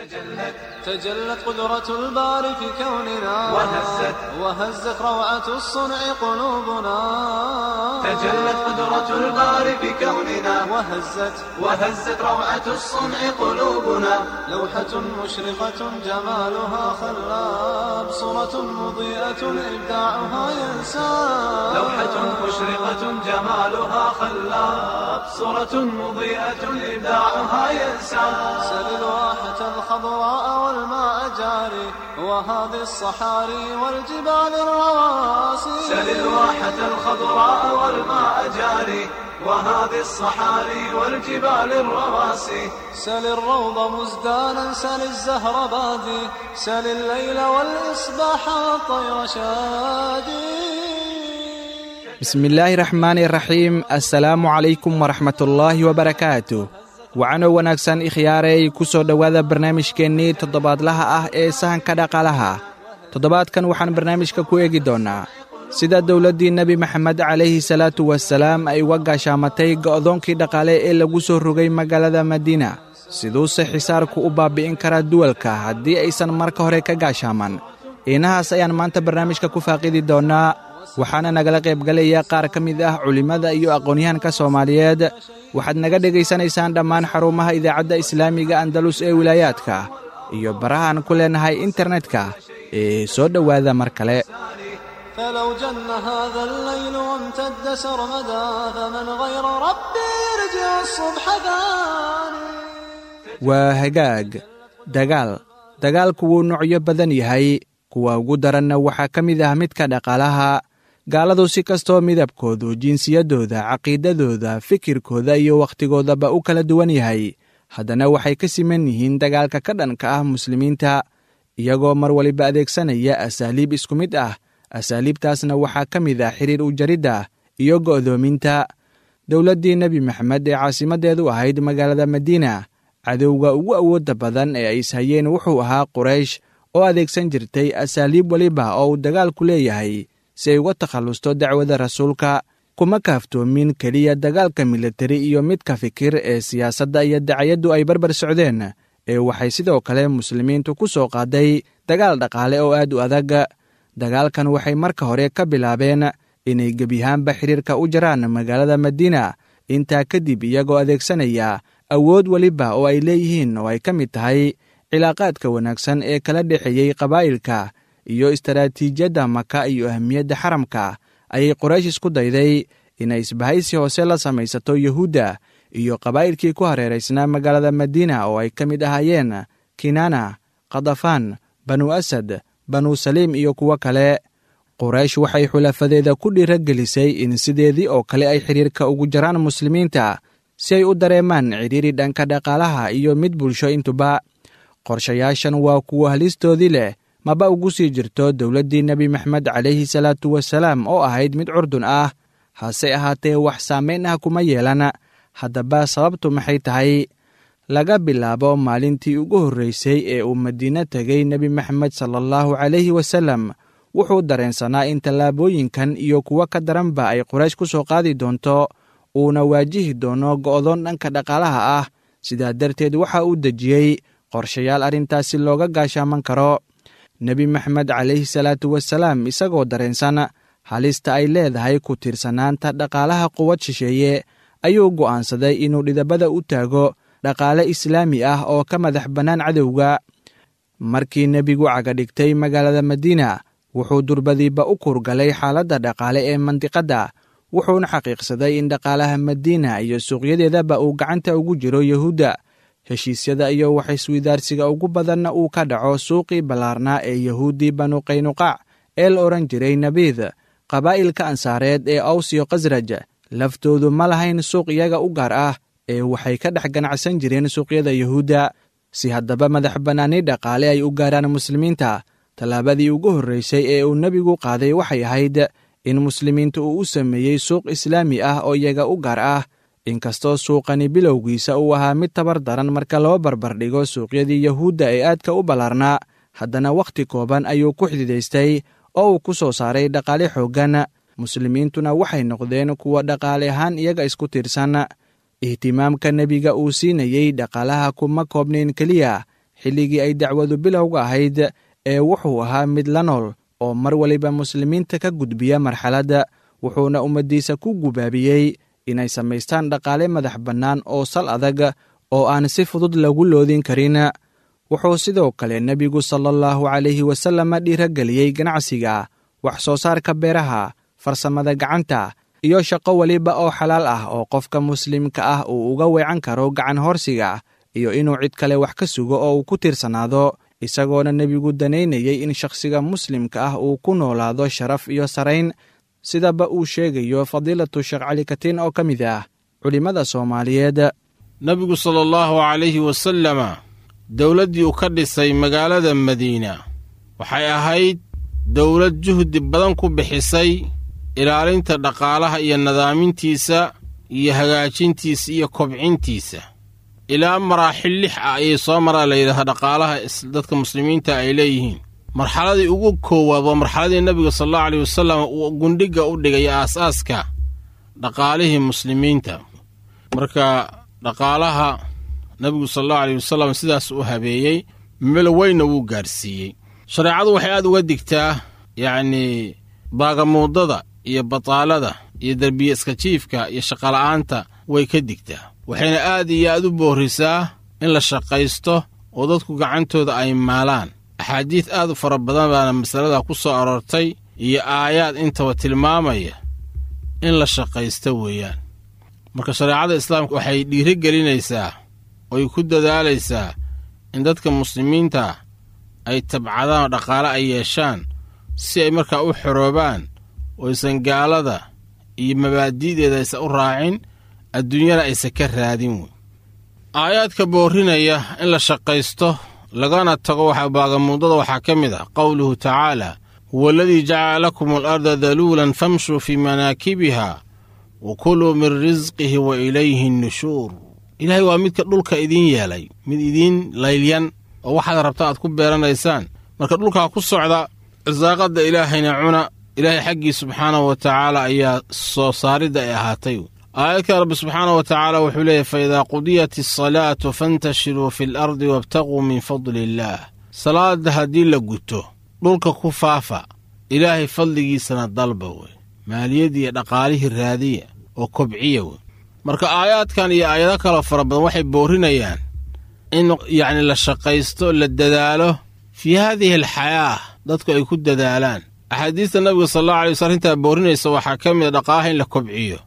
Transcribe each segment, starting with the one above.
تجلت قدرة الباري في كوننا وهزت روعة الصنع قلوبنا. تجلت قدرة الباري في كوننا وهزت روعة الصنع قلوبنا. لوحة مشرقة جمالها خلاب، صورة مضيئة إبداعها ينساب. لوحة مشرقة جمالها خلاب، صورة مضيئة إبداعها ينساب. سل الواحة الخضراء والماء جاري، وهذه الصحاري والجبال الرواسي. سل الواحة الخضراء والماء جاري، وهذه الصحاري والجبال الرواسي. سل الروض مزدانا، سل الزهر بادي، سل الليل والإصباح والطير شادي. Bismillaahi raxmaani raxiim. Assalaamu calaykum waraxmatullaahi wabarakaatu. Wacano wanaagsan ikhyaarey, ku soo dhowaada barnaamijkeennii toddobaadlaha ah ee sahanka dhaqaalaha. Toddobaadkan waxaan barnaamijka ku eegi doonnaa sida dowladdii Nebi Maxamed calayhi salaatu wasalaam ay uga gaashaamatay go'doonkii dhaqaale ee lagu soo rogay magaalada Madiina. Siduuse xisaarku u baabi'in karaa duwalka haddii aysan marka hore ka gaashaaman? Inahaas ayaan maanta barnaamijka ku faaqidi doonnaa, waxaana nagala qaybgalaya qaar ka mid ah culimmada iyo aqoonyahanka Soomaaliyeed. Waxaad naga dhegaysanaysaan dhammaan xarumaha Idaacadda Islaamiga Andalus ee wilaayaadka iyo barahaan ku leenahay internetka ee soo dhowaada mar kale. فلو جن هذا الليل وامتد سرمدا، فمن غير ربي يرجع الصبح ثاني. Waa hagaag. Dagaalku wuu noocyo badan yahay, kuwa ugu daranna waxaa ka mid ah midka dhaqaalaha. Gaaladu si kastoo midabkoodu, jinsiyadooda, caqiidadooda, fikirkooda iyo wakhtigoodaba u kala duwan yahay, haddana waxay ka siman yihiin dagaalka ka dhanka ah muslimiinta, iyagoo mar waliba adeegsanaya asaaliib isku mid ah. Asaaliibtaasna waxaa ka mid ah xiriir u jaridda iyo go'doominta. Dowladdii Nebi Maxamed ee caasimaddeedu ahayd magaalada Madiina, cadowga ugu awoodda badan ee ay ishayeen wuxuu ahaa Quraysh, oo adeegsan jirtay asaaliib weliba oo uu dagaalku leeyahay si ay uga takhallusto dacwada rasuulka. Kuma kaaftoomin keliya dagaalka militari iyo midka fikir ee siyaasadda iyo dacayaddu ay barbar socdeen, ee waxay sidoo kale muslimiintu ku soo qaaday dagaal dhaqaale oo aad u adag. Dagaalkan waxay marka hore ka bilaabeen inay gebiyahaanba xiriirka u jaraan magaalada Madiina. Intaa kadib, iyagoo adeegsanaya awood weliba oo ay leeyihiin, oo ay ka mid tahay cilaaqaadka wanaagsan ee kala dhexeeyey qabaa'ilka iyo istaraatiijiyadda Maka iyo ahmiyadda xaramka, ayay Qoraysh isku dayday inay isbahaysi hoose la samaysato Yuhuudda iyo qabaa'ilkii ku hareeraysnaa magaalada Madiina, oo ay ka mid ahaayeen Kinaana, Khadafaan, Banu Asad, Banu Saliim iyo kuwo kale. Qoraysh waxay xulafadeeda ku dhiiragelisay in sideedii oo kale ay xidhiirka ugu jaraan muslimiinta, si ay u dareemaan cidhiiri dhanka dhaqaalaha iyo mid bulsho intuba. Qorshayaashan waa kuwa halistoodii leh, maba ugu sii jirto dowladdii Nebi Maxamed calayhi salaatu wasalaam oo ahayd mid curdun ah, hase ahaatee wax saamayn ah kuma yeelan. Haddaba sababtu maxay tahay? Laga bilaabo maalintii ugu horraysay ee uu Madiine tegay Nebi Maxamed sala allahu calayhi wasallam, wuxuu dareensanaa in tallaabooyinkan iyo kuwo ka daranba ay Quraysh ku soo qaadi doonto, uuna waajihi doono go'doon dhanka dhaqaalaha ah. Sidaa darteed waxa uu dejiyey qorshayaal arrintaasi looga gaashaaman karo. Nebi Maxamed calayhi salaatu wasalaam, isagoo dareensan halista ay leedahay ku tiirsanaanta dhaqaalaha quwad shisheeye, ayuu go'aansaday inuu dhidabada u taago dhaqaale islaami ah oo ka madax bannaan cadowga. Markii nebigu cagadhigtay magaalada Madiina, wuxuu durbadiiba u kurgalay xaaladda dhaqaale ee mandiqadda, wuxuuna xaqiiqsaday in dhaqaalaha Madiina iyo suuqyadeedaba uu gacanta ugu jiro Yuhuudda, heshiisyada iyo waxiswidaarsiga ugu badanna uu ka dhaco suuqii ballaarnaa ee Yahuuddii Banu Qaynuqaac ee la odhan jiray Nabiid. Qabaa'ilka Ansaareed ee Aws iyo Khasraj laftoodu ma lahayn suuq iyaga u gaar ah, ee waxay ka dhex ganacsan jireen suuqyada Yuhuudda. Si haddaba madax bannaani dhaqaale ay u gaaraan muslimiinta, tallaabadii ugu horraysay ee uu nebigu qaaday waxay ahayd in muslimiinta uu u sameeyey suuq islaami ah oo iyaga u gaar ah. Inkastoo suuqani bilowgiisa uu ahaa mid tabar daran marka loo barbardhigo suuqyadii Yahuudda ee aadka u ballaarnaa, haddana wakhti kooban ayuu ku xididaystay oo uu ku soo saaray dhaqaale xooggan. Muslimiintuna waxay noqdeen kuwa dhaqaale ahaan iyaga isku tiirsan. Ihtimaamka nebiga uu siinayey dhaqaalaha kuma koobnayn keliya xilligii ay dacwadu bilowga ahayd ee wuxuu ahaa mid la nool oo mar waliba muslimiinta ka gudbiya marxaladda, wuxuuna ummaddiisa ku gubaabiyey inay samaystaan dhaqaale madax bannaan oo sal adag oo aan si fudud lagu loodin karin. Wuxuu sidoo kale nebigu salaallahu calayhi wasallam dhiirageliyey ganacsiga, wax soo saarka beeraha, farsamada gacanta iyo shaqo weliba oo xalaal ah oo qofka muslimka ah uu uga weecan karo gacan horsiga iyo inuu cid kale wax ka sugo oo uu ku tiirsanaado, isagoona nebigu danaynayey in shakhsiga muslimka ah uu ku noolaado sharaf iyo sarayn, sidaba uu sheegayo fadiilatu Sheekh Cali Katiin oo ka mid ah culimmada Soomaaliyeed. Nebigu sala allahu calayhi wasalama dowladdii uu ka dhisay magaalada Madiina waxay ahayd dowlad juhdi badan ku bixisay ilaalinta dhaqaalaha iyo nadaamintiisa iyo hagaajintiisa iyo kobcintiisa. Ilaa maraaxil 6 ah ayay soo maraa la yidhahdaa dhaqaalaha dadka muslimiinta ay leeyihiin. Marxaladii ugu koowaad waa marxaladii nebiga sala allahu alayh wasalam uu gundhigga u dhigay aasaaska dhaqaalihii muslimiinta. Marka dhaqaalaha nebigu sala allahu alayh wasalam sidaas u habeeyey, meel weynna wuu gaadhsiiyey. Shareecadu waxay aad uga digtaa yacnii baagamuudada iyo bataalada iyo derbiye iska jiifka iyo shaqola'aanta way ka digtaa, waxayna aad iyo aad u boorrisaa in la shaqaysto oo dadku gacantooda ay maalaan. Axaadiid aad u fara badan baana masalada ku soo aroortay iyo aayaad intaba tilmaamaya in la shaqaysto weeyaan. Marka shareecada islaamka waxay dhiiri gelinaysaa oy ku dadaalaysaa in dadka muslimiinta ay tabcadaan oo dhaqaale ay yeeshaan si ay markaa u xoroobaan oysan gaalada iyo mabaadi'deeda aysan u raacin, adduunyana aysan ka raadin wey. Aayaadka boorrinaya in la shaqaysto lagana tago waxa baagamuudada waxaa ka mid ah qowluhu tacaala: huwa aladii jacala lakum alarda daluulan famshuu fii manaakibiha wa kuluu min risqihi wa ilayhi nnushuur. Ilaahay waa midka dhulka idiin yeelay mid idiin laylyan oo waxaad rabta aad ku beeranaysaan. Marka dhulkaa ku socda, irsaaqadda ilaahayna cuna, ilaahay xaggii subxaanahu wa tacaala ayaa soo saaridda ay ahaatay. Aayadka Rabbi subxaanahu wa tacaala wuxuu leeyahy: fa idaa qudiyat asalaatu fantashiruu fi alardi wabtaguu min fadli illaah. Salaadda haddii la guto, dhulka ku faafa, ilaahay fadligiisana dalba wey, maaliyadii iyo dhaqaalihii raadiya oo kobciya wey. Marka aayaadkan iyo aayado kaloo fara badan waxay boorrinayaan in yacni la shaqaysto, la dadaalo fii haadihi alxayaa, dadku ay ku dadaalaan. Axaadiista nabiga sala allahu alay waslam arrintaa boorrinaysa waxaa ka mid a dhaqaalaha in la kobciyo.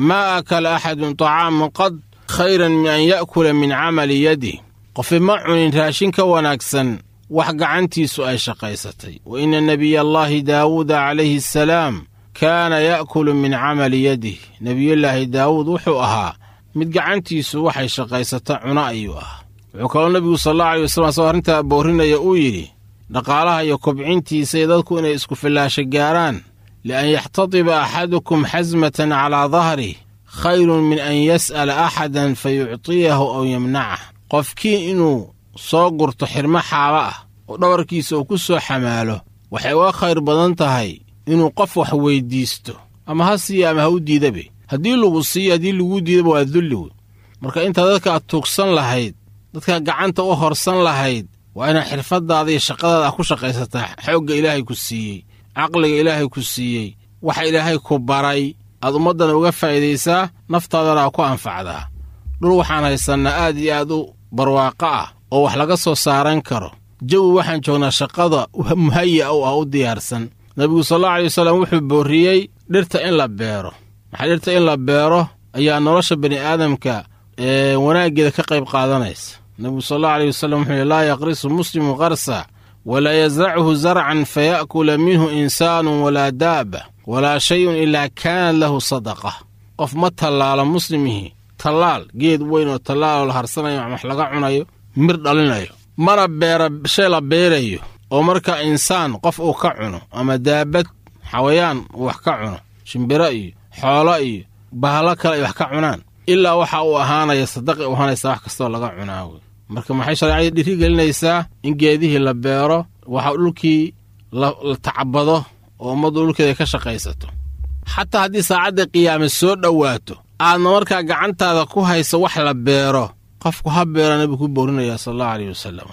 Maa akala axadun طacaaman qad khayran min an ya'kula min camali yadih. Qofi ma cunin raashin ka wanaagsan wax gacantiisu ay shaqaysatay. Wa ina nebiya allaahi daawuuda calayhi asalaam kaana ya'kulu min camali yadih. Nebiyullaahi Daawuud wuxuu ahaa mid gacantiisu waxay shaqaysata cuna ayuu ahaa. Wuxuu kaloo nebigu sala allahu alay wasalam asagoo arrintaa boorrinaya uu yidhi dhaqaalaha iyo kobcintiisa iyo dadku inay isku fillaasho gaaraan: lian yaxtatiba axadukum xasmatan calaa dahrih khayrun min an yas'ala axadan fa yuctiyahu aw yamnacah. Qofkii inuu soo gurto xirmo xaaba ah oo dhabarkiisa uu ku soo xamaalo waxay uga khayr badan tahay inuu qof wax weyddiisto, ama ha siiya ama ha u diidabe. Haddii lagu siiyo, haddii laguu diidaba waa dulli wey. Marka intaa dadka aad tuugsan lahayd, dadkaa gacanta u horsan lahayd, waa inaad xirfaddaada iyo shaqadaada ku shaqaysataa. Xoogga ilaahay ku siiyey, caqliga ilaahay ku siiyey, waxa ilaahay ku baray aad ummaddana uga faa'iidaysaa, naftaadana aa ku anfacdaa. Dhul waxaan haysannaa aad iyo aad u barwaaqo ah oo wax laga soo saaran karo. Jawi waxaan joognaa shaqada muhaya u ah, u diyaarsan. Nebigu sal allahu alay wasalam wuxuu boorriyey dhirta in la beero. Maxaa dhirta in la beero ayaa nolosha bani aadamka wanaaggeeda ka qayb qaadanaysa. Nebigu sal allahu aleyh wasalam wuxuu yihi: laa yaqrisu muslimu qarsa walaa yasrachu zarcan faya'kula minhu insaanu walaa daaba walaa shayun ilaa kaanat lahu sadaqa. Qof ma tallaalo muslimihii tallaal geed weyn oo tallaaloo la harsanayo wax laga cunayo, mir dhalinayo, mana beera shay la beerayo oo marka insaan qof uu ka cuno ama daabad xawayaan uu wax ka cuno, shimbiro iyo xoolo iyo bahalo kale ay wax ka cunaan, ilaa waxa uu ahaanaya sadaqay u ahaanaysaa wax kastoo laga cunaa wey. Marka maxay shareecadii dhiiri gelinaysaa? In geedihii la beero, waxa dhulkii la tacbado oo ummaddu dhulkeeda ka shaqaysato. Xataa haddii saacadda qiyaame soo dhowaato, aadna markaa gacantaada ku hayso wax la beero, qofku ha beera nebigu ku boorinayaa sala allahu aleyh wasalam.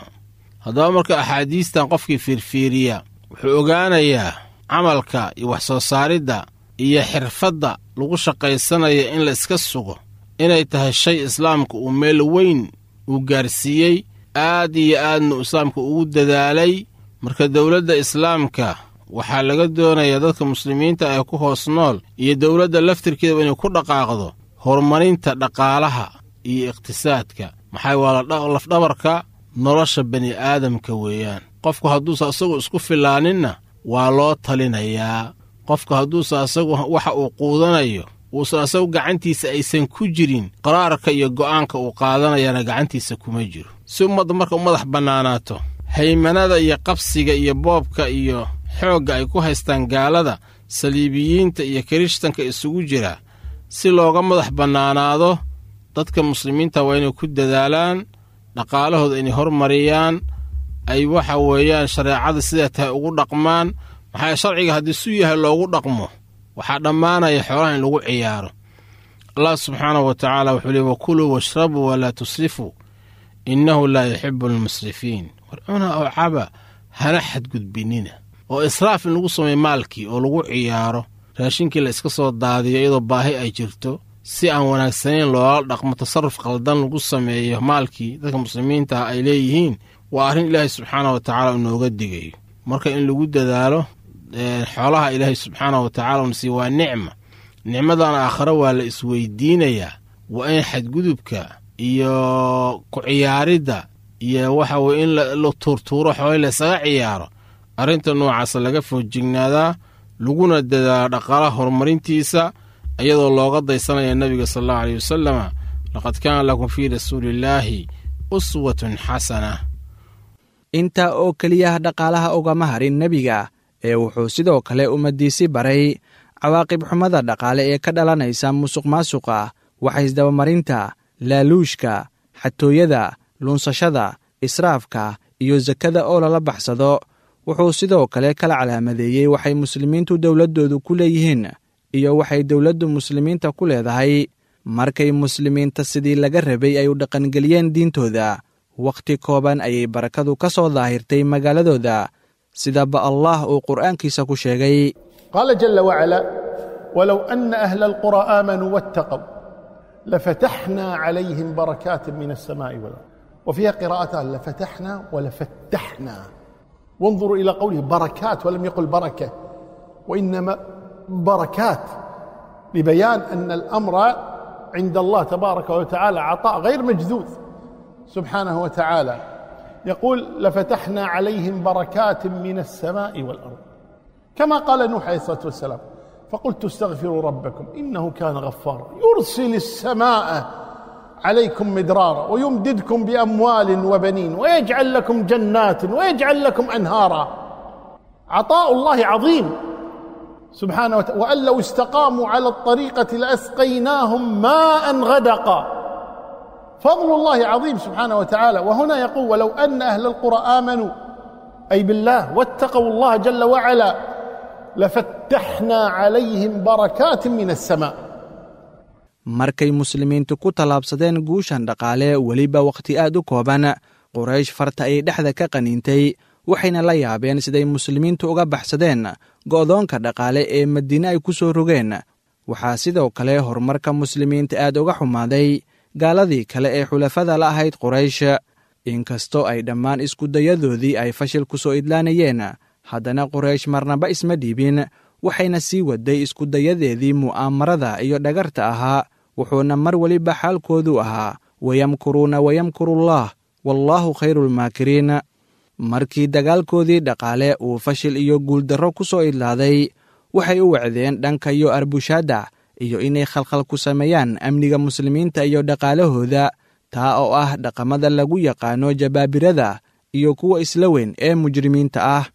Haddaba marka axaadiistan qofkii fiirfiiriya wuxuu ogaanayaa camalka iyo wax soo saaridda iyo xirfadda lagu shaqaysanaya in la iska sugo inay tahay shay islaamka uu meel weyn uu gaarsiiyey, aad iyo aadna islaamka ugu dadaalay. Marka dowladda islaamka waxaa laga doonayaa dadka muslimiinta ee ku hoos nool iyo dowladda laftirkeedaba inay ku dhaqaaqdo horumarinta dhaqaalaha iyo iqhtisaadka. Maxaa waa lafdhabarka nolosha bani aadamka weeyaan. Qofku hadduusa asagu isku filaaninna waa loo talinayaa. Qofku hadduusa asagu waxa uu quudanayo uusan asagu gacantiisa aysan ku jirin, qaraarka iyo go'aanka uu qaadanayana gacantiisa kuma jiro. Si ummadda marka u madax bannaanaato haymanada iyo qabsiga iyo boobka iyo xoogga ay ku haystaan gaalada saliibiyiinta iyo kirishtanka isugu jira, si looga madax bannaanaado dadka muslimiinta waa inay ku dadaalaan dhaqaalahooda inay hormariyaan, ay waxa weeyaan shareecada sidaa tahay ugu dhaqmaan. Maxaa sharciga haddii su yahay loogu dhaqmo waxaa dhammaanaya xoolaha in lagu ciyaaro. Allah subxaanahu wa tacaala wuxuu leey wakuluu washrabuu walaa tusrifuu innahu laa yuxibu almusrifiin. War cuna oo caba, hana xadgudbinina. Oo israaf in lagu sameeyo maalkii oo lagu ciyaaro, raashinkii la iska soo daadiyo iyadoo baahi ay jirto, si aan wanaagsanayn loola dhaqmo, tasarruf qaldan lagu sameeyo maalkii dadka muslimiinta ah ay leeyihiin, waa arrin ilaahay subxaanah wa tacaala inooga digayo. Marka in lagu dadaalo xoolaha ilaahay subxaanah wa tacala una siiye waa nicma. Nicmadan aakhare waa la isweydiinayaa. Waa in xadgudubka iyo ku ciyaaridda iyo waxa weye in la tuurtuuro xoolai laysaga ciyaaro, arrinta noocaasa laga foojignaadaa, laguna dadaalo dhaqaalaha horumarintiisa, iyadoo looga daysanaya nebiga sala allahu aleyh wasalama, laqad kaana lakum fii rasuuliillaahi uswatun xasana. Intaa oo keliya dhaqaalaha ugama harin nebiga, ee wuxuu sidoo kale ummaddiisi baray cawaaqib xumada dhaqaale ee ka dhalanaysa musuqmaasuqa, waxaysdabamarinta, laaluushka, xatooyada, lunsashada, israafka iyo sakada oo lala baxsado. Wuxuu sidoo kale kala calaamadeeyey waxay muslimiintu dowladdoodu ku leeyihiin iyo waxay dowladdu muslimiinta ku leedahay. Markay muslimiinta sidii laga rabay ay u dhaqangeliyeen diintooda, wakhti kooban ayay barakadu ka soo daahirtay magaaladooda, sidaba Allah uu qur'aankiisa ku sheegay. Qaala jalla wacalaa walow anna ahla alquraa aamanuu wattaqow lafataxnaa calayhim barakaatin min alsamaa'i walard. Wa fiiha qiraa'atan lafataxnaa walafattaxnaa. وانظروا إلى قوله بركات ولم يقل بركة، وإنما بركات، لبيان أن الأمر عند الله تبارك وتعالى عطاء غير مجذوذ سبحانه وتعالى. يقول لفتحنا عليهم بركات من السماء والأرض، كما قال نوح عليه الصلاة والسلام فقلت استغفروا ربكم إنه كان غفارا يرسل السماء عليكم مدرارا ويمددكم بأموال وبنين ويجعل لكم جنات ويجعل لكم أنهارا. عطاء الله عظيم سبحانه وتعالى. وأن لو استقاموا على الطريقة لأسقيناهم ماء غدقا. فضل الله عظيم سبحانه وتعالى. وهنا يقول ولو أن أهل القرى آمنوا أي بالله واتقوا الله جل وعلا لفتحنا عليهم بركات من السماء. Markay muslimiintu ku tallaabsadeen guushan dhaqaale weliba wakhti aad u kooban, Quraysh farta ayay dhexda ka qaniintay, waxayna la yaabeen siday muslimiintu uga baxsadeen go'doonka dhaqaale ee Madiine ay ku soo rogeen. Waxaa sidoo kale horumarka muslimiinta aad uga xumaaday gaaladii kale ee xulafada la ahayd Quraysh. Inkastoo ay dhammaan iskudayadoodii ay fashil ku soo idlaanayeen, haddana Quraysh marnaba isma dhiibin, waxayna sii waday iskudayadeedii mu'aamarada iyo dhagarta ahaa. Wuxuuna mar weliba xaalkoodu ahaa wayamkuruuna wayamkurullaah wallaahu khayruulmaakiriin. Markii dagaalkoodii dhaqaale uu fashil iyo guuldarro ku soo idlaaday, waxay u wacdeen dhanka iyo arbushaadda iyo inay khalkhal ku sameeyaan amniga muslimiinta iyo dhaqaalahooda, taa oo ah dhaqamada lagu yaqaano jabaabirada iyo kuwa isla weyn ee mujrimiinta ah.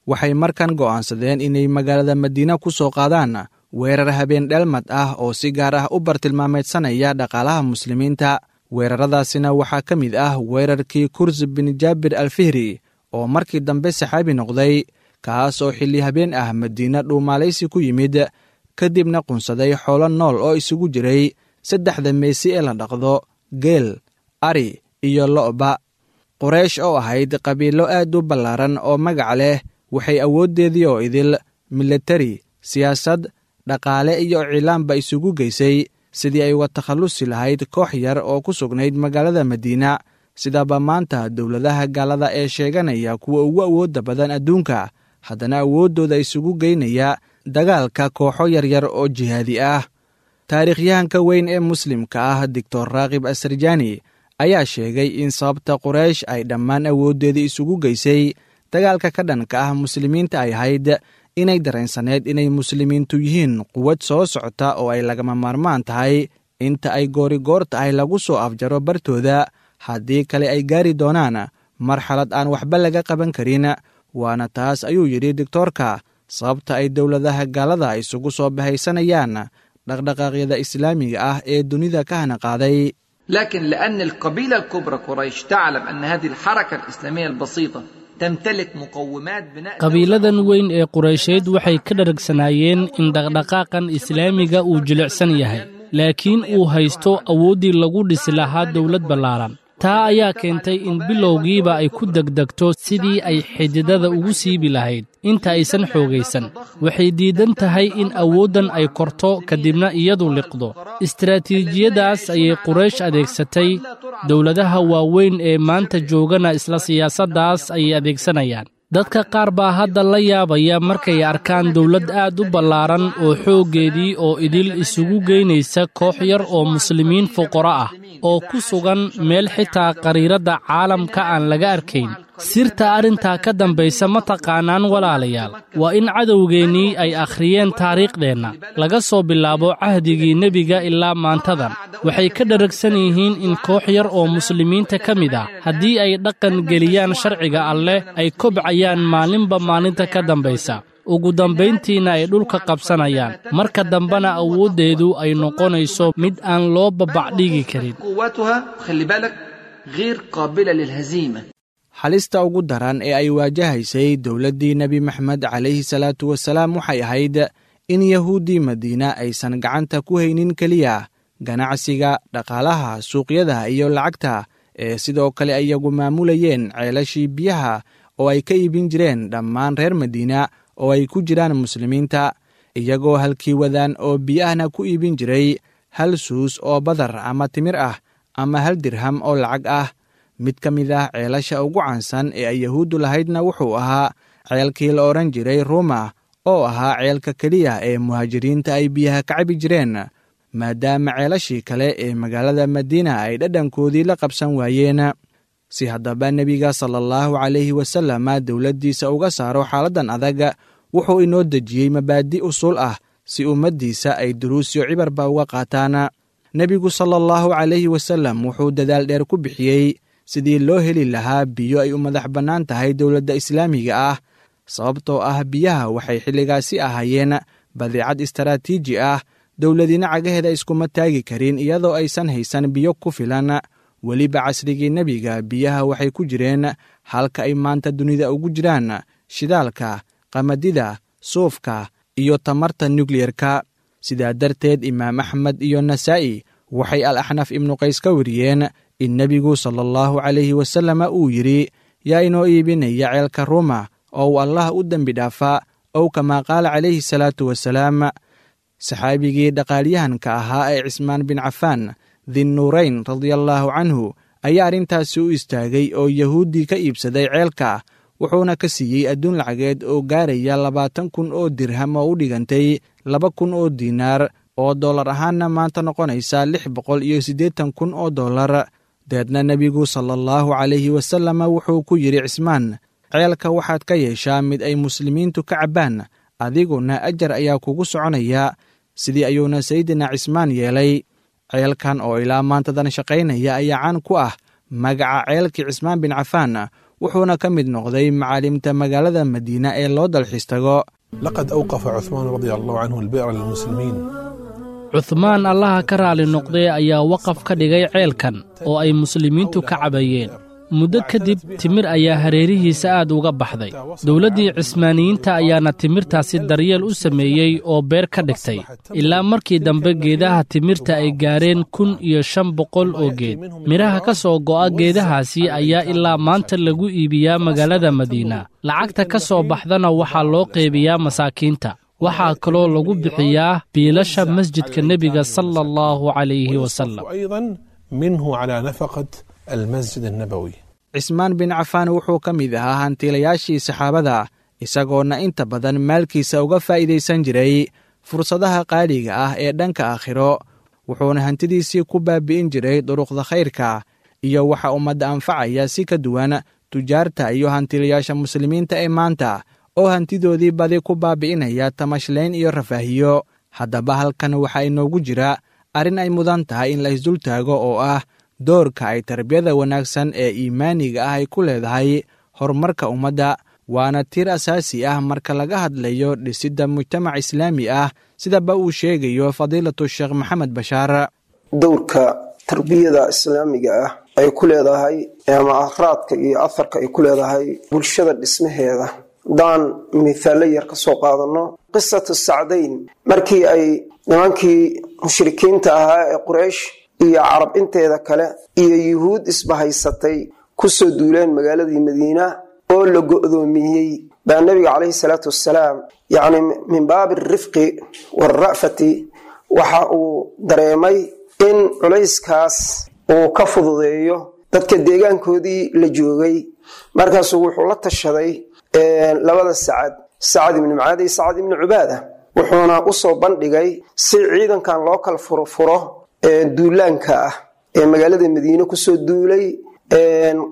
Waxay markan go'aansadeen inay magaalada Madiina ku soo qaadaan weerar habeen dheelmad ah oo si gaar ah u bartilmaameedsanaya dhaqaalaha muslimiinta. Weeraradaasina waxaa ka mid ah weerarkii Kursi bin Jaabir Alfihri oo markii dambe saxaabi noqday, kaas oo xilli habeen ah Madiina dhuumaalaysi ku yimid, kadibna qunsaday xoolo nool oo isugu jiray saddexda meesi ee la dhaqdo, geel, ari iyo lo'ba. Quraysh oo ahayd qabiilo aad u ballaaran oo magac leh, waxay awooddeedii oo idil milatari, siyaasad, dhaqaale iyo iclaanba isugu geysay sidii ay uga takhallusi lahayd koox yar oo ku sugnayd magaalada Madiina. Sidaba maanta dowladaha gaalada ee sheeganaya kuwa ugu awoodda badan adduunka, haddana awooddooda isugu geynaya dagaalka kooxo yaryar oo jihaadi ah. Taariikhyahanka weyn ee muslimka ah, Doctor Raakib Asarjaani, ayaa sheegay in sababta Quraysh ay dhammaan awooddeedii isugu geysay dagaalka ka dhanka ah muslimiinta ay ahayd inay dareensaneed inay muslimiintu yihiin quwad soo socota oo ay lagama maarmaan tahay inta ay goorigoor tahay lagu soo afjaro bartooda, haddii kale ay gaari doonaan marxalad aan waxba laga qaban karin. Waana taas, ayuu yidhi doctoorka, sababta ay dowladaha gaalada isugu soo bahaysanayaan dhaqdhaqaaqyada islaamiga ah ee dunida ka hana qaaday. لكن لأن القبيلة الكبرى قريش تعلم أن هذه الحركة الإسلامية البسيطة تمتلك مقومات بناء Qabiiladan weyn ee Quraysheed waxay ka dharagsanaayeen in dhaqdhaqaaqan islaamiga uu jilicsan yahay, laakiin uu haysto awooddii lagu dhisi lahaa dowlad ballaaran. Taa ayaa keentay in bilowgiiba ay ku degdegto sidii ay xididada ugu siibi lahayd inta aysan xoogaysan. Waxay diidan tahay in awooddan ay korto kadibna iyadu liqdo. Istaraatiijiyadaas ayay Quraysh adeegsatay. Dowladaha waaweyn ee maanta joogana isla siyaasaddaas ayay adeegsanayaan. Dadka qaar baa hadda la yaabaya markay arkaan dowlad aad u ballaaran oo xooggeedii oo idil isugu geynaysa koox yar oo muslimiin fuqaro ah oo ku sugan meel xitaa qariiradda caalamka aan laga arkayn. Sirta arrintaa ka dambaysa ma taqaanaan, walaalayaal? Waa in cadowgeennii ay akhriyeen taariikhdeenna laga soo bilaabo cahdigii nebiga ilaa maantadan. Waxay ka dharagsan yihiin in koox yar oo muslimiinta ka mid ah haddii ay dhaqan geliyaan sharciga Alleh ay kobcayaan maalinba maalinta ka dambaysa, ugu dambayntiina ay dhulka qabsanayaan, marka dambena awooddeedu ay noqonayso mid aan loo babacdhigi karin. قوتها، خلي بالك، غير قابلة للهزيمة. Halista ugu daran ee ay waajahaysay dowladdii Nebi Maxamed calayhi salaatu wasalaam waxay ahayd in Yahuuddii Madiina aysan gacanta ku haynin keliya ganacsiga, dhaqaalaha, suuqyada iyo lacagta, ee sidoo kale iyagu maamulayeen ceelashii biyaha oo ay ka iibin jireen dhammaan reer Madiina oo ay ku jiraan muslimiinta, iyagoo halkii wadaan oo biyahna ku iibin jiray hal suus oo badar ama timir ah ama hal dirham oo lacag ah. Mid ka mid ah ceelasha ugu caansan ee ay Yahuuddu lahaydna wuxuu ahaa ceelkii la odhan jiray Ruuma, oo ahaa ceelka keliya ee muhaajiriinta ay biyaha ka cabi jireen, maadaama ceelashii kale ee magaalada Madiina ay dhadhankoodii la qabsan waayeen. Si haddaba nebiga sala allahu calayhi wasalama dowladdiisa uga saaro xaaladdan adag, wuxuu inoo dejiyey mabaadi usuul ah si ummaddiisa ay duruusyo cibarba uga qaataan. Nebigu sala allahu calayhi wasalam wuxuu dadaal dheer ku bixiyey sidii loo heli lahaa biyo ay u madax bannaan tahay dowladda islaamiga ah, sababtoo ah biyaha waxay xilligaasi ahaayeen badeecad istaraatiiji ah. Dowladina cagaheeda iskuma taagi karin iyadoo aysan haysan biyo ku filan. Weliba casrigii nebiga biyaha waxay ku jireen halka ay maanta dunida ugu jiraan shidaalka, qamadida, suufka iyo tamarta nukliyerka. Sidaa darteed Imaam Axmed iyo Nasaa'i waxay Al Axnaf Ibnu Qays ka wariyeen in nebigu sala allahu calayhi wasalama uu yidhi: "Yaa inoo iibinaya ceelka Ruuma oo uu Allah u dembi dhaafaa?" Ow kamaa qaala calayhi salaatu wasalaam. Saxaabigii dhaqaalyahanka ahaa ee Cismaan bin Cafaan Dinnuurayn radiallaahu canhu ayaa arrintaasi u istaagay oo Yahuuddii ka iibsaday ceelka, wuxuuna ka siiyey adduun lacageed oo gaaraya 20,000 oo dirham, oo u dhigantay 2,000 oo diinaar, oo dollar ahaanna maanta noqonaysa 680,000 oo dollar. Deedna nebigu sala allahu calayhi wasalama wuxuu ku yidhi Cismaan: "Ceelka waxaad ka yeeshaa mid ay muslimiintu ka cabbaan, adiguna ajar ayaa kugu soconaya." Sidii ayuuna Sayidina Cismaan yeelay. Ceelkan oo ilaa maantadan shaqaynaya ayaa caan ku ah magaca ceelkii Cismaan bin Cafaan, wuxuuna ka mid noqday macaalimta magaalada Madiina ee loo dalxiis tago. لقد أوقف عثمان رضي الله عنه البئر للمسلمين. Cuhmaan, Allaha ka raali noqdee, ayaa waqaf ka dhigay ceelkan oo ay muslimiintu ka cabayeen. Muddo kadib timir ayaa hareerihiisa aad uga baxday. Dowladdii Cismaaniyiinta ayaana timirtaasi daryeel u sameeyey oo beer ka dhigtay, ilaa markii dambe geedaha timirta ay gaareen 1500 oo geed. Midhaha ka soo go'a geedahaasi ayaa ilaa maanta lagu iibiyaa magaalada Madiina. Lacagta ka soo baxdana waxaa loo qeybiyaa masaakiinta. Waxaa kaloo lagu bixiyaa biilasha masjidka Nebiga sala Allahu calayhi wasalam. أيضا منه على نفقة المسجد النبوي. Cismaan bin Cafaan wuxuu ka mid ahaa hantiilayaashii saxaabada, isagoona inta badan maalkiisa uga faa'iidaysan jiray fursadaha qaaliga ah ee dhanka aakhiro, wuxuuna hantidiisii ku baabi'in jiray duruqda khayrka iyo waxa ummadda anfacaya, si ka duwan tujaarta iyo hantiilayaasha muslimiinta ee maanta oo hantidoodii badi ku baabi'inaya tamashlayn iyo rafaahiyo. Haddaba halkan waxaa inoogu jira arrin ay mudan tahay in la isdultaago, oo ah doorka ay tarbiyada wanaagsan ee iimaaniga ah ay ku leedahay horumarka ummadda, waana tiir asaasi ah marka laga hadlayo dhisidda mujtamac islaami ah, sidaba uu sheegayo Fadiilatu Sheekh Maxamed Bashaar. Dowrka tarbiyada islaamiga ah ay ku leedahay ama akhraadka iyo aharka ay ku leedahay bulshada dhismaheeda, haddaan mithaallo yar ka soo qaadano, qisatu Sacdayn, markii ay nimankii mushrikiinta ahaa ee Quraysh iyo Carab inteeda kale iyo Yuhuud isbahaysatay kusoo duuleen magaaladii Madiina oo la go'doomiyey, baa Nabiga calayhi salaatu wassalaam, yacni min baabi alrifqi waalra'fati, waxa uu dareemay in culayskaas uu ka fududeeyo dadka deegaankoodii la joogay. Markaasuu wuxuu la tashaday labada Sacad, Sacad ibni Mucaad iyo Sacad ibni Cubaada, wuxuuna usoo bandhigay si ciidankan loo kala furfuro duulaanka ah ee magaalada Madiine kusoo duulay,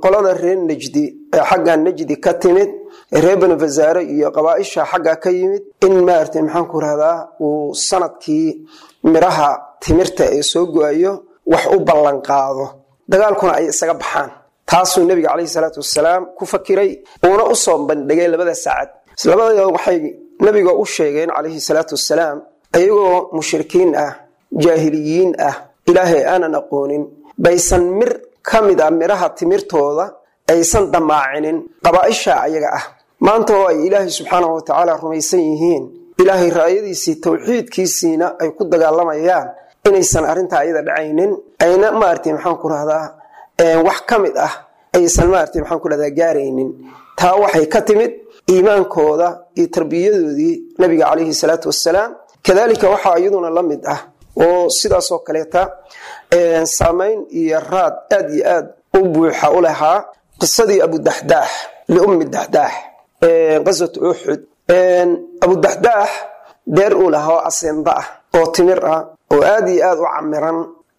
qolada reer Najdi ee xagga Najdi ka timid, reer Banu Fasaare iyo qabaaisha xagga ka yimid, in maaragtay maxaan ku rahdaa uu sanadkii miraha timirta ee soo go-ayo wax u ballan qaado, dagaalkuna ay isaga baxaan. Taasuu Nebiga calayhi salaatu wasalaam ku fakiray, uuna usoo bandhigay labada Sacad. Labada waxay Nebiga u sheegeen calayhi salaatu wasalaam, ayagoo mushrikiin ah, jaahiliyiin ah, Ilaahay aanan aqoonin, baysan mir ka mid ah miraha timirtooda aysan damaacinin qabaaisha ayaga ah. Maanta oo ay Ilaahay subxaanahu watacaala rumaysan yihiin, Ilaahay raayadiisii towxiidkiisiina ay ku dagaalamayaan, inaysan arrintaa ayada dhacaynin, ayna maaragtay maxaan ku rahdaa wax ka mid ah aysan maaragtay maxaan ku rahdaa gaaraynin. Taa waxay ka timid iimaankooda iyo tarbiyadoodii Nabiga calayhi salaatu wassalaam. Kadalika waxaa iyaduna la mid ah oo sidaasoo kaleeta saamayn iyo raad aad iyo aad u buuxa u lahaa qisadii Abudaxdaax liummi Daxdaax, qaswat Uxud. Abudaxdaax beer uu lahaa oo aseemba ah oo timir ah oo aad iyo aad u camiran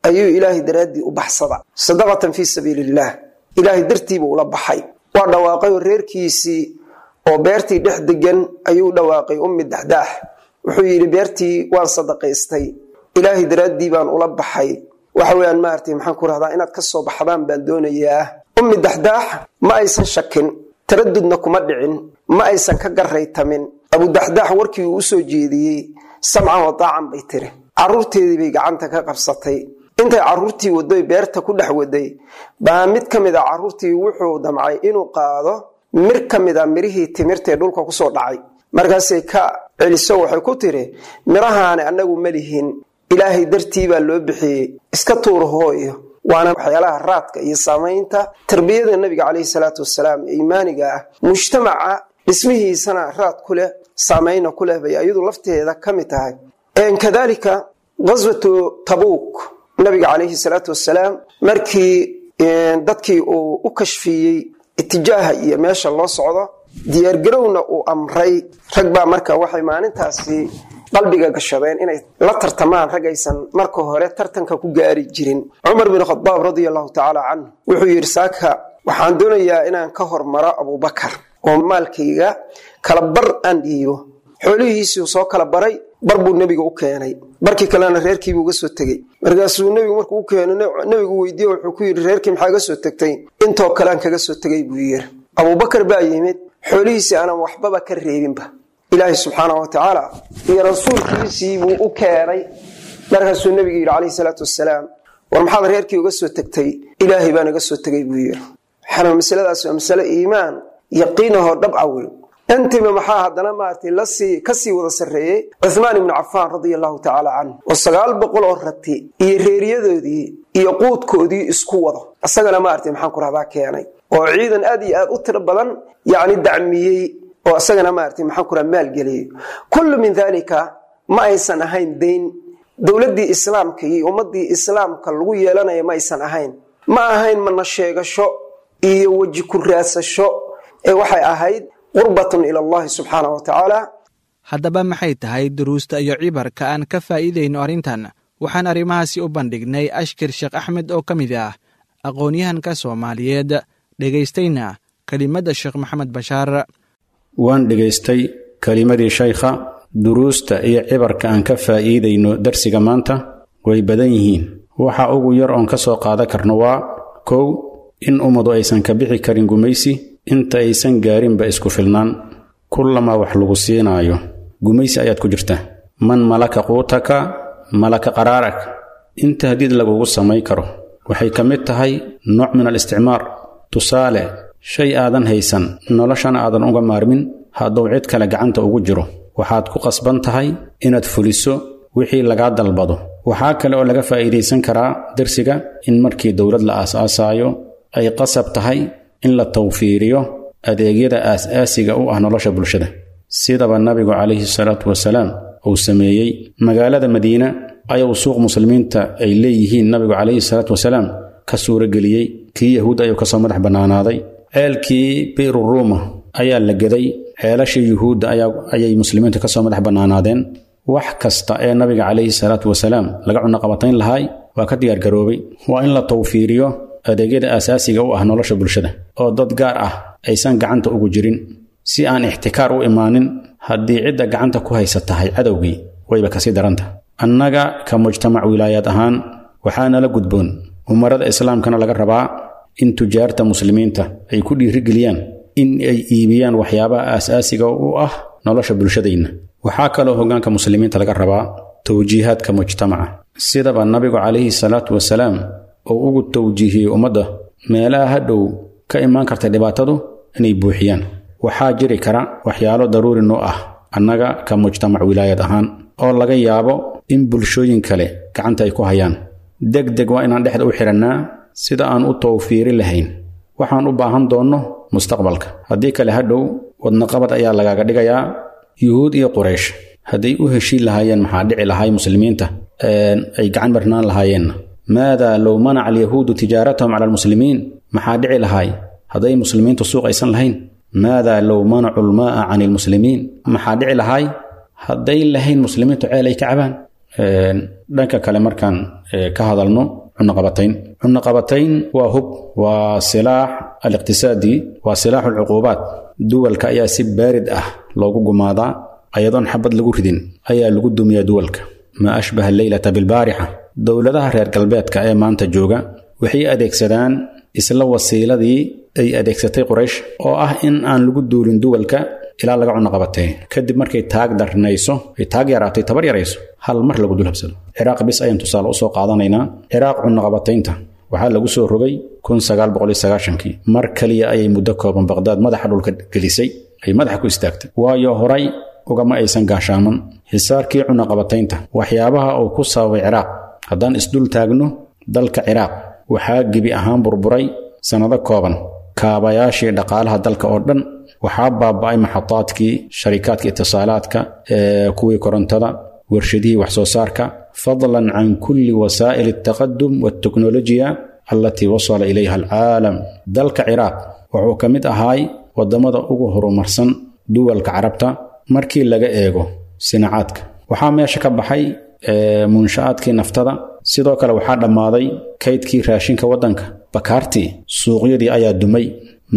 ayuu Ilaahay daraaddii u baxsada, sadaqatan fii sabiili illaah, Ilaahay dartiibuu ula baxay. Waa dhawaaqay oo reerkiisii oo beertii dhex degan ayuu dhawaaqay. Ummi Daxdaax wuxuu yidhi: "Beertii waan sadaqaystay, Ilaahay daraaddii baan ula baxay, waxa weeyaan maaragtay maxaan ku rahdaa inaad ka soo baxdaan baan doonayaa." Ummi Daxdaax ma aysan shakin, taradudna kuma dhicin, ma aysan ka garaytamin Abudaxdaax warkii uu usoo jeediyey. "Samcan wa taacan," bay tiri. Carruurteedii bay gacanta ka qabsatay. Intay carruurtii wadoy beerta ku dhex waday baa mid ka mid a carruurtii wuxuu damcay inuu qaado mir ka mid a mirihii timirtae dhulka kusoo dhacay. Markaasay ka celiso, waxay ku tiri: "Mirahaani annagu ma lihin, Ilaahay dartii baa loo bixiyey, iska tuur hooyo." Waana waxyaalaha raadka iyo saamaynta tarbiyada Nabiga calayhi salaatu wasalaam ee iimaaniga ah mujtamaca dhismihiisana raad ku leh, saamayna ku leh, bay iyadu lafteeda ka mid tahay. Kadalika qaswatu Tabuuk, Nabiga calayhi salaatu wasalaam markii dadkii uu u kashfiyey itijaaha iyo meesha loo socdo, diyaargarowna uu amray, rag baa marka waxay maalintaasi qalbiga gashadeen inay la tartamaan rag aysan marka hore tartanka ku gaari jirin. Cumar bin Khadaab radia Allahu tacaala canhu wuxuu yidhi: "Saaka waxaan doonayaa inaan ka hormaro Abubakar oo maalkayga kala bar aan dhiibo." Xoolihiisii soo kala baray, bar buu Nebiga u keenay, barkii kalena reerkiibuu uga soo tegey. Markaasuu Nebigu markuu u keeno Nebigu weydiiye, wuxuu ku yidhi: "Reerkii maxaa ga soo tegtay?" "Intoo kalean kaga soo tegay," buu yidhi. Abubakar baa yimid, xoolihiisii aanan waxbaba ka reebinba Ilaahay subxaanahu watacaala iyo rasuulkiisii buu u keenay. Markaasuu Nebigu yidhi calayhi salaatu wasalaam: "War maxaad reerkii uga soo tegtay?" "Ilaahay baan iga soo tegay," buu yidhi. Waxaana masaladaas waa masale iimaan yaqiinahoo dhabca wey. Intiiba maxaa haddana maaragtay lasii kasii wada sarreeyey Cuthmaan ibnu Cafaan radia allahu tacaala canhu, oo 900 oo rati iyo reeriyadoodii iyo quudkoodii isku wado, isagana maaragtay maxaan ku rahdaa keenay, oo ciidan aad iyo aad u tiro badan yacni dacmiyey, oo isagana maaragtay maxaan ku rahaa maalgeliyey. Kullu min daalika ma aysan ahayn dayn dowladdii islaamka iyo ummaddii islaamka lagu yeelanaya, ma aysan ahayn, ma ahayn mana sheegasho iyo weji ku raadsasho, ee waxay ahayd qurbatun ila allahi subxaanahu wa tacaala. Haddaba maxay tahay duruusta iyo cibarka aan ka faa'iidayno arrintan? Waxaan arrimahaasi u bandhignay Ashkir Sheekh Axmed oo ka mid ah aqoon-yahanka Soomaaliyeed, dhegaystayna kelimadda Sheekh Maxamed Bashaar. Waan dhegaystay kelimadii shaykha. Duruusta iyo cibarka aan ka faa'iidayno darsiga maanta way badan yihiin. Waxa ugu yar oon ka soo qaadan karno waa kow, in ummadu aysan ka bixi karin gumaysi inta aysan gaarinba isku filnaan. Kullamaa wax lagu siinaayo, gumaysi ayaad ku jirtaa. Man malaka quutaka malaka qaraarak. Inta hadiid lagugu samayn karo waxay ka mid tahay nooc min al isticmaar. Tusaale, shay aadan haysan noloshana aadan uga maarmin hadduu cid kale gacanta ugu jiro, waxaad ku qasban tahay inaad fuliso wixii lagaa dalbado. Waxaa kale oo laga faa'iidaysan karaa darsiga in markii dowlad la aas-aasaayo ay qasab tahay in la tawfiiriyo adeegyada aas-aasiga u ah nolosha bulshada, sidaba nabigu calayhi salaatu wasalaam uu sameeyey. Magaalada Madiina ayuu suuq muslimiinta ay leeyihiin nabigu calayhi salaatu wasalaam ka suurageliyey, kii yahuud ayuu kasoo madax bannaanaaday. Ceelkii Biiru Ruuma ayaa la geday, ceelashii yuhuudda ayay muslimiintu kasoo madax bannaanaadeen. Wax kasta ee nabiga calayhi salaatu wasalaam laga cunaqabatayn lahaay waa ka diyaargaroobay. Waa in la tawfiiriyo adeegyada aasaasiga u ah nolosha bulshada oo dad gaar ah aysan gacanta ugu jirin, si aan ixtikaar u imaanin. Haddii cidda gacanta ku haysa tahay cadowgii, wayba kasii daranta. Annaga ka mujtamac wilaayaad ahaan waxaa nala gudboon, umarada islaamkana laga rabaa, in tujaarta muslimiinta ay ku dhiirigeliyaan in ay iibiyaan waxyaabaha aasaasiga u ah nolosha bulshadayna. Waxaa kaloo hoggaanka muslimiinta laga rabaa tawjiihaadka mujtamaca, sidaba nabigu calayhi salaatu wasalaam uu ugu tawjiihiyey ummadda meelaha hadhow ka imaan karta dhibaatadu inay buuxiyaan. Waxaa jiri kara waxyaalo daruuri noo ah annaga ka mujtamac wilaayad ahaan oo laga yaabo in bulshooyin kale gacanta ay ku hayaan. Deg deg waa inaan dhexda u xidhannaa sida aan u tawfiiri lahayn waxaan u baahan doonno mustaqbalka. Haddii kale hadhow wadnaqabad ayaa lagaaga dhigayaa. Yuhuud iyo Quraysh hadday u heshiin lahaayeen, maxaa dhici lahay? Muslimiinta ay gacan marnaan lahaayeenna. Maada low manaca alyahuudu tijaaratahum cala almuslimiin? Maxaa dhici lahay hadday muslimiintu suuq aysan lahayn? Maada low manacu lmaaa can ilmuslimiin? Maxaa dhici lahay hadday lahayn muslimiintu ceel ay ka cabaan? Dhanka kale markaan ka hadalno cunaqabatayn, cunaqabatayn waa hub, waa silaax aliqtisaadi, waa silaaxu alcuquubaat. Duwalka ayaa si baarid ah loogu gumaadaa, ayadoon xabad lagu ridin ayaa lagu dumiyaa duwalka. Maa ashbaha alleylata bilbaarixa. Dowladaha reer galbeedka ee maanta jooga waxay adeegsadaan isla wasiiladii ay adeegsatay Quraysh, oo ah in aan lagu duulin duwalka ilaa laga cunaqabatee. Kadib markay taag darnayso, ay taag yaraatay, tabar yarayso, hal mar lagu dul habsado. Ciraaq bis ayaan tusaale usoo qaadanaynaa. Ciraaq cunaqabataynta waxaa lagu soo rogay 1990-kii. Mar kaliya ayay muddo kooban Baqdaad madaxa dhulka gelisay, ay madaxa ku istaagtay, waayo horay ugama aysan gaashaaman. Xisaarkii cunaqabataynta waxyaabaha uu ku sababay Ciraaq haddaan isdul taagno, dalka Ciraaq waxaa gebi ahaan burburay sannado kooban kaabayaashii dhaqaalaha dalka oo dhan. Waxaa baaba'ay maxadaadkii sharikaadka itisaalaadka, kuwii korontada, warshadihii wax soo saarka, fadlan can kulli wasaa'il altaqadum walteknolojiya allatii wasala ilayha alcaalam. Dalka Ciraaq wuxuu ka mid ahaay waddamada ugu horumarsan duwalka Carabta markii laga eego sinacaadka. Waxaa meesha ka baxay munsha'aadkii naftada, sidoo kale waxaa dhammaaday kaydkii raashinka waddanka, bakaartii suuqyadii ayaa dumay,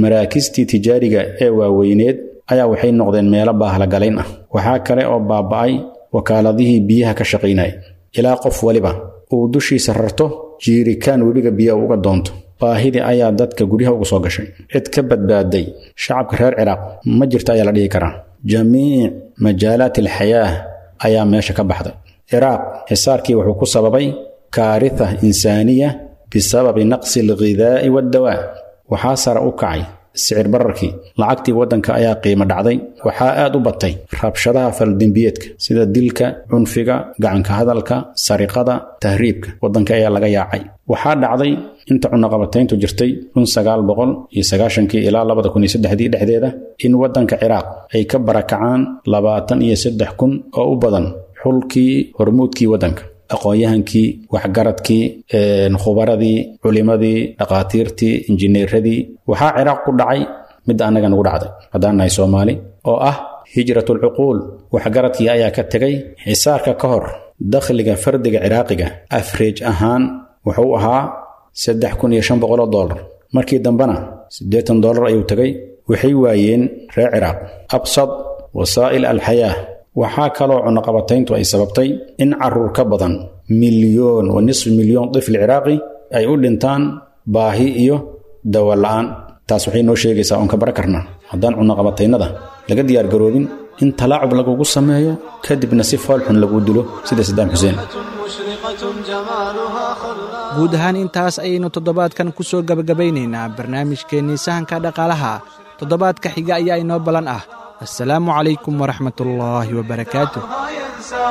maraakistii tijaariga ee waaweyneed ayaa waxay noqdeen meelo baahlagalayn ah. Waxaa kale oo baaba'ay wakaaladihii biyaha ka shaqaynaya, ilaa qof waliba uu dushiisa rarto jiirikaan webiga biyaha uga doonto. Baahidii ayaa dadka guryaha uga soo gashay. Cid ka badbaaday shacabka reer Ciraaq ma jirto ayaa la dhihi karaa. Jamiic majaalaat alxayaah ayaa meesha ka baxday. Ciraaq xisaarkii wuxuu ku sababay kaaritha insaaniya bisababi naqsi alghidaa'i waddawaa. Waxaa sare u kacay sicir bararkii, lacagtii waddanka ayaa qiimo dhacday. Waxaa aad u batay rabshadaha faldembiyeedka sida dilka, cunfiga, gacanka hadalka, sariqada, tahriibka. Waddanka ayaa laga yaacay. Waxaa dhacday inta cunaqabatayntu jirtay 1990-kii ilaa 2003-dii dhexdeeda in waddanka Ciraaq ay ka barakacaan 23,000 oo u badan xulkii hormuudkii waddanka, aqoon-yahankii, waxgaradkii, khubaradii, culimadii, dhaqaatiirtii, injineeradii. Waxaa Ciraaq ku dhacay midda annaga nagu dhacday haddaan nahay Soomaali, oo ah hijratulcuquul. Waxgaradkii ayaa ka tegay. Xisaarka ka hor dakhliga fardiga ciraaqiga afreej ahaan wuxuu ahaa $3,500, markii dambena $80 ayuu tegay. Waxay waayeen reer Ciraaq absad wasaa'il alxayaa. Waxaa kaloo cunaqabatayntu ay sababtay in caruur ka badan 1.5 milyan tifli ciraaqi ay u dhintaan baahi iyo dawa la'aan. Taas waxay noo sheegaysaa oon ka bara karnaa haddaan cunaqabataynada laga diyaargaroobin in talaacub lagugu sameeyo, kadibna si foolxun lagu dilo sida Sadaam Xuseen. Guud ahaan intaas ayaynu toddobaadkan ku soo gebagabaynaynaa barnaamijkeennii sahanka dhaqaalaha. Toddobaadka xiga ayaa inoo ballan ah. Assalaamu calaykum waraxmatullaahi wabarakaatu. ينسى.